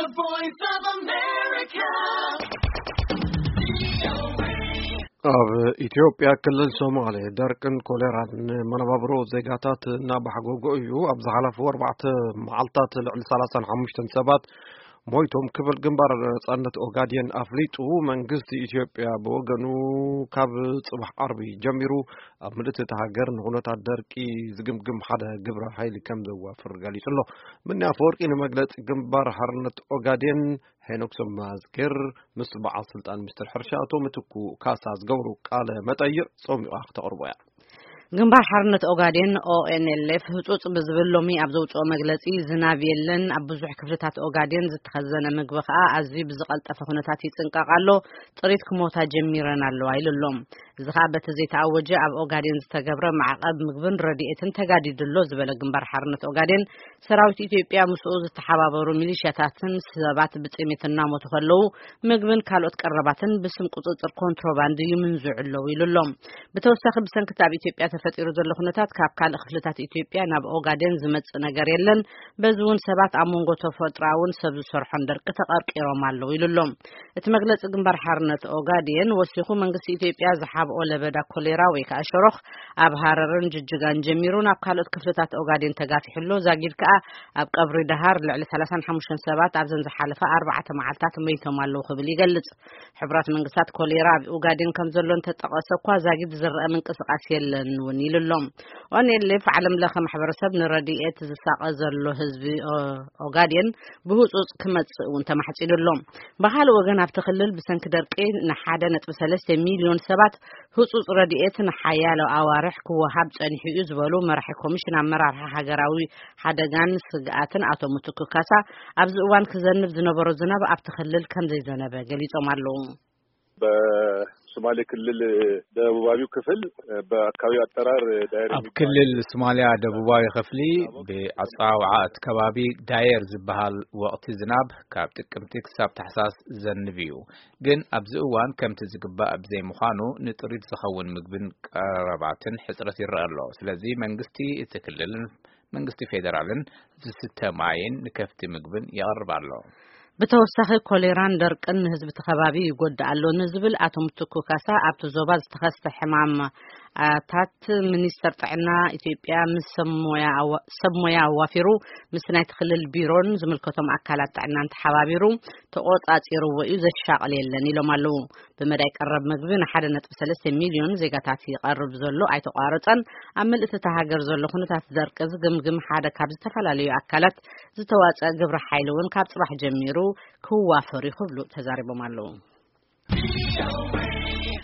The Voice of America. ኣብ ኢትዮጵያ ክልል ሶማሌ ደርቅን ኮሌራን ንመነባብሮ ዜጋታት እናባሕጎጎ እዩ። ኣብ ዝሓለፉ ኣርባዕተ መዓልታት ልዕሊ ሰላሳን ሓሙሽተን ሰባት ሞይቶም ክብል ግንባር ነጻነት ኦጋዴን ኣፍሊጡ። መንግስቲ ኢትዮጵያ ብወገኑ ካብ ጽባሕ ዓርቢ ጀሚሩ ኣብ ምልእቲ እታ ሃገር ንኹነታት ደርቂ ዝግምግም ሓደ ግብረ ሓይሊ ከም ዘዋፍር ገሊጹ ኣሎ። ምንያ ኣፈወርቂ ንመግለጺ ግንባር ሓርነት ኦጋዴን ሄኖክ ሰማዝጌር ምስ በዓል ስልጣን ሚኒስትር ሕርሻ ኣቶ ምትኩ ካሳ ዝገብሩ ቃለ መጠይቕ ጾሚቓ ክተቕርቦ እያ። ግንባር ሓርነት ኦጋዴን ኦኤንኤልኤፍ ህጹጽ ብዝብል ሎሚ ኣብ ዘውጽኦ መግለጺ፣ ዝናብ የለን፣ ኣብ ብዙሕ ክፍልታት ኦጋዴን ዝተኸዘነ ምግቢ ከኣ ኣዝዩ ብዝቐልጠፈ ኩነታት ይጽንቀቕ ኣሎ፣ ጥሪት ክሞታ ጀሚረን ኣለዋ ኢሉ ኣሎ። እዚ ከኣ በቲ ዘይተኣወጀ ኣብ ኦጋዴን ዝተገብረ ማዕቐብ ምግብን ረድኤትን ተጋዲዱ ኣሎ ዝበለ ግንባር ሓርነት ኦጋዴን፣ ሰራዊት ኢትዮጵያ ምስኡ ዝተሓባበሩ ሚሊሻታትን ሰባት ብጥሜት እናሞቱ ከለዉ፣ ምግብን ካልኦት ቀረባትን ብስም ቁጽጽር ኮንትሮባንድ ይምንዝዑ ኣለዉ ኢሉ ኣሎ። ብተወሳኺ፣ ብሰንኪ እቲ ኣብ ኢትዮጵያ ተፈጢሩ ዘሎ ኩነታት ካብ ካልእ ክፍልታት ኢትዮጵያ ናብ ኦጋዴን ዝመጽእ ነገር የለን። በዚ እውን ሰባት ኣብ መንጎ ተፈጥሮኣውን ሰብ ዝሰርሖን ደርቂ ተቐርቂሮም ኣለዉ ኢሉ ኣሎ። እቲ መግለጺ ግንባር ሓርነት ኦጋዴን ወሲኹ፣ መንግስቲ ኢትዮጵያ ዝሓብኦ ለበዳ ኮሌራ ወይ ከኣ ሸሮኽ ኣብ ሃረርን ጅጅጋን ጀሚሩ ናብ ካልኦት ክፍልታት ኦጋዴን ተጋፊሑ ኣሎ። ዛጊድ ከኣ ኣብ ቀብሪ ደሃር ልዕሊ ሰላሳን ሓሙሽተን ሰባት ኣብዘን ዝሓለፈ ኣርባዕተ መዓልታት መይቶም ኣለዉ ክብል ይገልጽ። ሕቡራት መንግስታት ኮሌራ ኣብ ኦጋዴን ከም ዘሎ እንተጠቐሰ እኳ፣ ዛጊድ ዝረአ ምንቅስቓስ የለን እውን ኢሉ ኣሎ። ኦኔሌፍ ዓለም ለኸ ማሕበረሰብ ንረድኤት ዝሳቐ ዘሎ ህዝቢ ኦ-፣ ኦጋዴን ብህጹጽ ክመጽእ እውን ተማሕጺኑ ኣሎ። ብኻልእ ወገን፣ ኣብቲ ክልል ብሰንኪ ደርቂ ንሓደ ነጥቢ ሰለስተ ሚልዮን ሰባት ህጹጽ ረድኤት ንሓያሎ ኣዋርሕ ክወሃብ ጸኒሑ እዩ ዝበሉ መራሒ ኮሚሽን ኣመራርሓ ሃገራዊ ሓደጋን ስግኣትን ኣቶ ምትኩ ካሳ፣ ኣብዚ እዋን ክዘንብ ዝነበሮ ዝናብ ኣብቲ ክልል ከም ዘይዘነበ ገሊጾም ኣለዉ። በሶማሌ ክልል ደቡባዊው ክፍል፣ በአካባቢው አጠራር ዳየር ኣብ የሚባል ክልል ሶማሊያ ደቡባዊ ክፍሊ፣ ብኣጸዋውዓ እቲ ከባቢ ዳየር ዝበሃል ወቕቲ ዝናብ ካብ ጥቅምቲ ክሳብ ታሕሳስ ዘንብ እዩ። ግን ኣብዚ እዋን ከምቲ ዝግባእ ብዘይምዃኑ፣ ንጥሪት ዝኸውን ምግብን ቀረባትን ሕጽረት ይረአ ኣሎ። ስለዚ መንግስቲ እቲ ክልልን መንግስቲ ፌደራልን ዝስተ ማይን ንከፍቲ ምግብን የቕርብ ኣሎ። ብተወሳኺ፣ ኮሌራን ደርቅን ንህዝቢ እቲ ከባቢ ይጎድእ ኣሎ ንዝብል ኣቶ ምትኩ ካሳ፣ ኣብቲ ዞባ ዝተኸስተ ሕማማታት ሚኒስተር ጥዕና ኢትዮጵያ ምስ ሰብ ሞያ ኣዋ-፣ ሰብ ሞያ ኣዋፊሩ፣ ምስ ናይቲ ክልል ቢሮን ዝምልከቶም ኣካላት ጥዕናን ተሓባቢሩ ተቖጻጺርዎ እዩ፣ ዘሻቕል የለን ኢሎም ኣለዉ። ብመዳይ ቀረብ ምግቢ ንሓደ ነጥቢ ሰለስተ ሚልዮን ዜጋታት ይቐርብ ዘሎ ኣይተቋረጸን። ኣብ ምልእቲ እታ ሃገር ዘሎ ኩነታት ደርቂ ዝግምግም ሓደ ካብ ዝተፈላለዩ ኣካላት ዝተዋጸአ ግብረ ሓይሊ እውን ካብ ጽባሕ ጀሚሩ ክዋፈር እዩ ክብሉ ተዛሪቦም ኣለዉ።